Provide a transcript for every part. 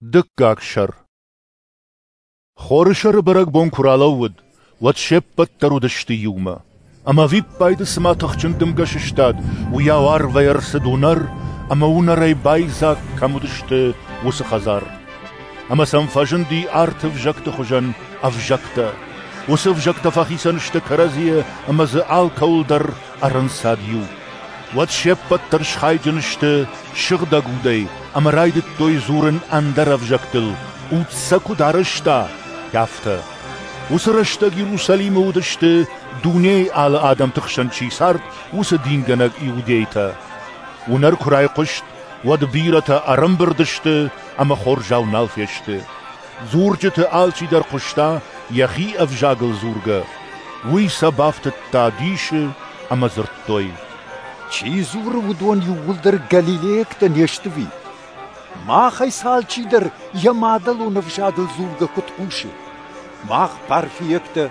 Дыккаг сӕр. Хорысӕры бӕрӕгбон куы ралӕууыд, уӕд се ппӕт дӕр уыдысты иумӕ. Ӕмӕ ӕвиппайды цыма тыхджын дымгӕ сыстад, уыйау арвӕй ӕрцыд уынӕр, ӕмӕ уынӕрӕй байдзаг, кӕм уыдысты, уыцы хӕдзар. Ӕмӕ сӕм фӕзынди арты ӕвзӕгты хуызӕн ӕвзӕгтӕ. Уыцы ӕвзӕгтӕ фӕхицӕн сты кӕрӕдзийӕ ӕмӕ дзы алкӕуыл дӕр ӕрӕнцад иу. Уӕд се ппӕт дӕр схайджын сты Сыгъдӕг Удӕй ӕмӕ райдыдтой дзурын ӕндӕр ӕвзӕгтыл, Уд сӕ куыд арӕзта, афтӕ. Уыцы рӕстӕг Иерусалимы уыдысты, дунейы алы адӕмты хсӕн чи цард, уыцы дингӕнӕг иудейтӕ. Уынӕр куы райхъуыст, уӕд бирӕтӕ ӕрӕмбырд сты ӕмӕ хорзау нал фесты. Дзурджыты алчидӕр хъуыста йӕхи ӕвзагыл дзургӕ. Уый сӕ бафтыдта дисы ӕмӕ дзырдтой: Чи дзуры, уыдон иууылдӕр галилейӕгтӕ не сты ӕви? Махӕй сӕ алчидӕр йӕ мадӕлон ӕвзагыл дзургӕ куыд хъусы? Мах парфийӕгтӕ,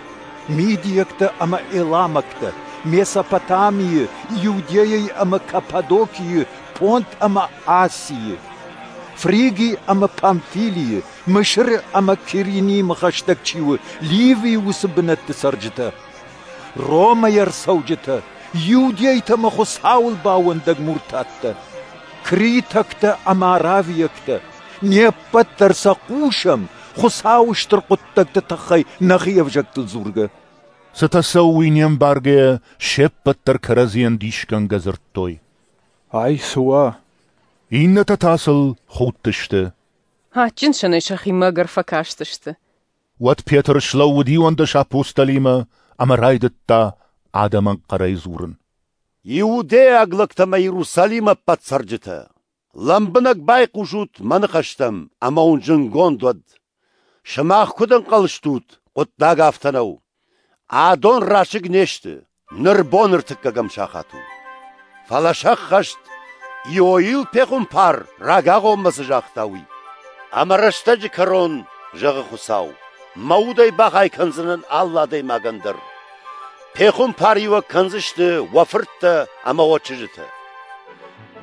мидийӕгтӕ ӕмӕ эламӕгтӕ, Месопотамийы, Иудейӕйы ӕмӕ Каппадокийы, Понт ӕмӕ Асийы, Фриги ӕмӕ Памфилийы, Мысыры ӕмӕ Киринимӕ хӕстӕг чи у, Ливийы уыцы бынӕтты цӕрджытӕ, Ромӕй ӕрцӕуджытӕ, иудейтӕ ӕмӕ Хуыцауыл баууӕндӕг муртаттӕ, критӕгтӕ ӕмӕ аравиӕгтӕ, не ппӕт дӕр сӕ хъусӕм Хуыцауы стыр хъуыддӕгты тыххӕй нӕхи ӕвзӕгтыл дзургӕ. Цытӕ цӕуы, уый не мбаргӕйӕ, се ппӕт дӕр кӕрӕдзийӕн дисгӕнгӕ дзырдтой: Ай цы уа? Иннӕтӕ та сыл худтысты. Адджын сӕнӕй сӕхимӕ ӕгӕр фӕкастысты. Уӕд Петр слӕууыд 11 апостолимӕ ӕмӕ райдыдта адӕмӕн хъӕрӕй дзурын. Иудейаг лӕгтӕ ӕмӕ Иерусалимы ӕппӕт цӕрджытӕ, лӕмбынӕг байхъусут мӕ ныхӕстӕм ӕмӕ уын зынгонд уӕд. Сымах куыд ӕнхъӕл стут, хъуыддаг афтӕ нӕу. Адон расыг не сты, ныр бон ӕртыккӕгӕм сахат у. Фӕлӕ сӕххӕст, Иоил пехуымпар рагагъоммӕ цы загъта, уый. Ӕмӕ рӕстӕджы кӕрон, зӕгъы Хуыцау, мӕ удӕй бахай кӕндзынӕн алы адӕймагӕн дӕр. Пехуымпариуӕг кӕндзысты уӕ фырттӕ ӕмӕ уӕ чызджытӕ.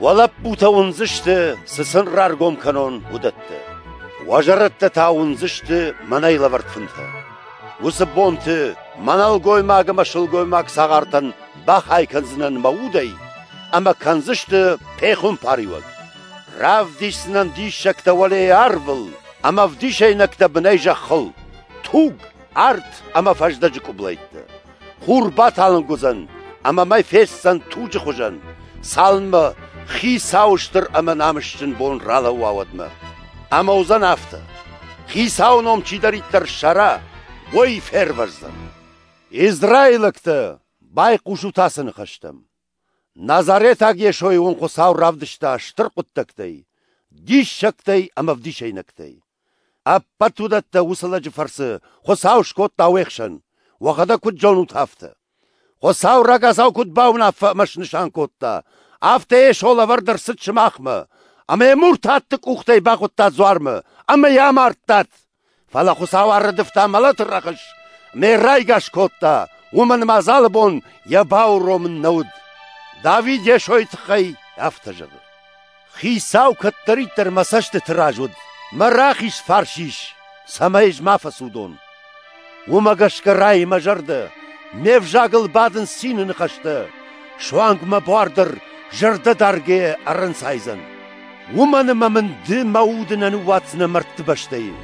Уӕ лӕппутӕ уындзысты, цы сын раргом кӕнон, уыдӕттӕ. Уӕ зӕрӕдтӕ та уындзысты мӕнӕй лӕвӕрд фынтӕ. Уыцы бонты мӕ нӕлгоймаг ӕмӕ сылгоймаг цагъартӕн бахай кӕндзынӕн мӕ удӕй, ӕмӕ кӕндзысты пехуымпариуӕг. Равдисдзынӕн диссӕгтӕ уӕлейы арвыл ӕмӕ ӕвдисӕйнӕгтӕ бынӕй зӕххыл, туг, арт ӕмӕ фӕздӕджы къублӕйттӕ. Хур баталынг уыдзӕн, ӕмӕ мӕй фестдзӕн туджы хуызӕн, цалынмӕ Хицауы стыр ӕмӕ намысджын бон ралӕууа, уӕдмӕ. Ӕмӕ уыдзӕн афтӕ: Хицауы ном чидӕриддӕр ссара, уый фервӕздзӕн. Израилӕгтӕ, байхъусут ацы ныхӕстӕм. Назаретаг Йесойы уын Хуыцау равдыста стыр хъуыддӕгтӕй, диссӕгтӕй ӕмӕ ӕвдисӕйнӕгтӕй. Ӕппӕт уыдӕттӕ уыцы лӕджы фӕрцы Хуыцау скодта уе хсӕн, уӕхӕдӕг куыд зонут, афтӕ. Хуыцау рагацау куыд бауынаффӕ ӕмӕ снысан кодта, афтӕ Йесо лӕвӕрд ӕрцыд сымахмӕ, ӕмӕ йӕ муртатты къухтӕй бахуыдта дзуармӕ ӕмӕ йӕ амардтат. Фӕлӕ Хуыцау ӕрыдывта мӕлӕты рӕхыс, ӕмӕ йӕ райгас кодта, уымӕн ӕмӕ адзалы бон йӕ бауромын нӕ уыд. Давид Йесойы тыххӕй афтӕ зӕгъы: Хицау кӕддӕриддӕр мӕ цӕстыты раз уыд, мӕ рахиз фарс ис, цӕмӕй ӕз ма фӕцудон. Уымӕ гӕсгӕ райы мӕ зӕрдӕ, ме взагыл бадынц цины ныхӕстӕ, суанг мӕ буар дӕр зӕрдӕдаргӕйӕ ӕрӕнцайдзӕн. Уымӕн ӕмӕ мын ды мӕ уды нӕ ныууадздзынӕ мӕрдты бӕстӕйы,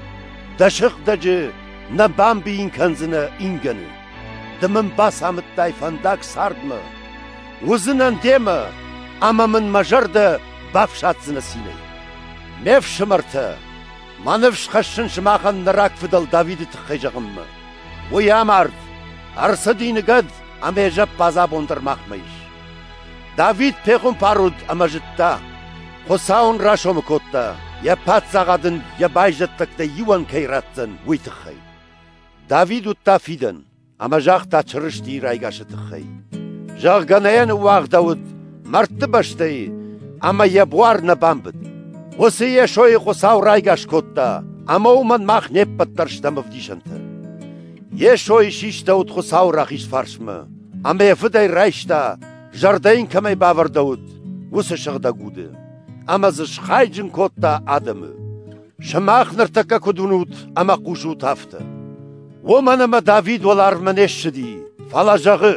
дӕ сыгъдӕджы нӕ бамбийын кӕндзынӕ ингӕны. Ды мын бацамыдтай фӕндаг цардмӕ, уыдзынӕн демӕ, ӕмӕ мын мӕ зӕрдӕ бафсаддзынӕ цинӕй. Ме фсымӕртӕ, мӕ ныфс хӕссын сымахӕн нӕ рагфыдӕл Давиды тыххӕй зӕгъынмӕ. Уый амард, ӕрцыди ныгӕд ӕмӕ йӕ зӕппадз абон дӕр махмӕ ис. Давид пехуымпар уыд ӕмӕ зыдта, Хуыцау ын расомы кодта, йӕ паддзахад ын йӕ байзӕддӕгтӕй иуӕн кӕй ратдзӕн, уый тыххӕй. Давид уыдта фидӕн ӕмӕ загъта Чырыстийы райгасы тыххӕй, зӕгъгӕ, нӕ йӕ ныууагъдӕуыд мӕрдты бӕстӕйы ӕмӕ йӕ буар нӕ бамбыд. Уыцы Йесойы Хуыцау райгас кодта, ӕмӕ уымӕн мах не ппӕт дӕр стӕм ӕвдисӕнтӕ. Йесойы систӕуыд Хуыцауы рахиз фарсмӕ, ӕмӕ йӕ Фыдӕй райста, зӕрдӕ йын кӕмӕй бавӕрдӕуыд, уыцы Сыгъдӕг Уды, ӕмӕ дзы схайджын кодта адӕмы. Сымах ныртӕккӕ куыд уынут ӕмӕ хъусут, афтӕ. Уымӕн ӕмӕ Давид уӕларвмӕ не ссыди, фӕлӕ зӕгъы: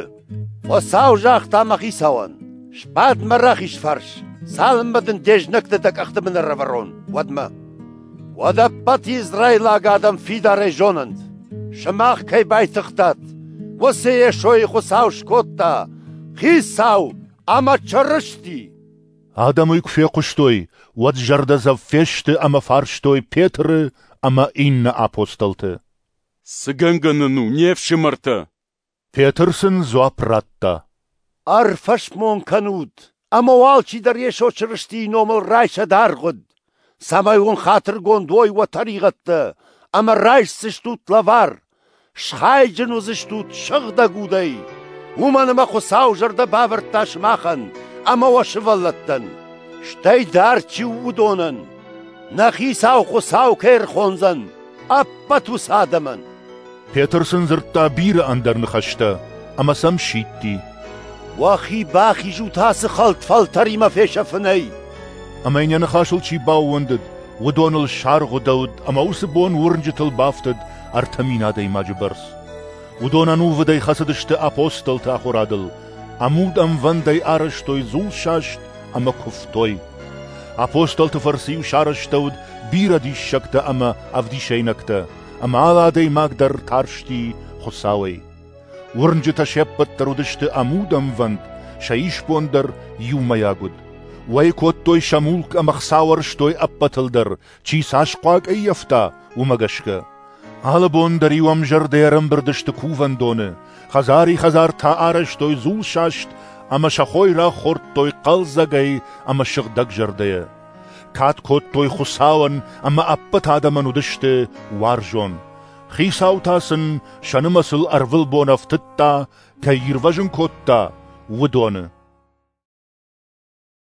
Хуыцау загъта мӕ хицауӕн: Сбад мӕ рахиз фарс, цалынмӕ дын де знӕгты дӕ къӕхты бын ӕрӕвӕрон, уӕдмӕ. Уӕд ӕппӕт израилаг адӕм фидарӕй зонӕнт, сымах кӕй байтыгътат, уыцы Йесойы Хуыцау скодта Хицау ӕмӕ Чырысти. Адӕм уый куы фехъуыстой, уӕд зӕрдӕдзӕф фесты ӕмӕ фарстой Петры ӕмӕ иннӕ апостолты. Цы гӕнгӕ нын у, не фсымӕртӕ? Петр сын дзуапп радта: Ӕрфӕсмон кӕнут, ӕмӕ уӕ алчидӕр Йесо Чырыстийы номыл райсӕд аргъуыд, цӕмӕй уын хатыргонд уой уӕ тӕригъӕдтӕ, ӕмӕ райсдзыстут лӕвар, схайджын уыдзыстут Сыгъдӕг Удӕй, уымӕн ӕмӕ Хуыцау зӕрдӕ бавӕрдта сымахӕн ӕмӕ уӕ сывӕллӕттӕн, стӕй дард чи у, уыдонӕн, нӕ Хицау Хуыцау кӕй ӕрхондзӕн, ӕппӕт уыцы адӕмӕн. Петр сын дзырдта бирӕ ӕндӕр ныхӕстӕ ӕмӕ сӕм сидти. Уӕхи бахизут ацы хӕлд фӕлтӕримӕ фесӕфынӕй! Ӕмӕ йын йӕ ныхасыл чи баууӕндыд, уыдоныл саргъуыдӕуыд ӕмӕ уыцы бон уырнджытыл бафтыд 3000 адӕймаджы бӕрц. Уыдон ӕнувыдӕй хӕцыдысты апостолты ахуырадыл, ӕмуд-ӕмвӕндӕй арӕзтой дзулсаст ӕмӕ куывтой. Апостолты фӕрцы-иу сарӕзтӕуыд бирӕ диссӕгтӕ ӕмӕ ӕвдисӕйнӕгтӕ, ӕмӕ алы адӕймаг дӕр тарсти Хуыцауӕй. Уырнджытӕ се ппӕт дӕр уыдысты ӕмуд-ӕмвӕнд, сӕ исбон дӕр иумӕйаг уыд. Уӕй кодтой сӕ мулк ӕмӕ хца уӕрстой ӕппӕтыл дӕр, чи цас хъуаг ӕййӕфта, уымӕ гӕсгӕ. Алы бон дӕр-иу ӕмзӕрдӕ ӕрӕмбырд сты кувӕндоны, хӕдзари-хӕдзар та арӕзтой дзулсаст ӕмӕ сӕ хойраг хордтой хъӕлдзӕгӕй ӕмӕ сыгъдӕгзӕрдӕйӕ. Кад кодтой Хуыцауӕн ӕмӕ ӕппӕт адӕмӕн уыдысты уарзон. Хицау та сын сӕ нымӕцыл ӕрвылбон ӕфтыдта, кӕй ирвӕзын кодта, уыдоны.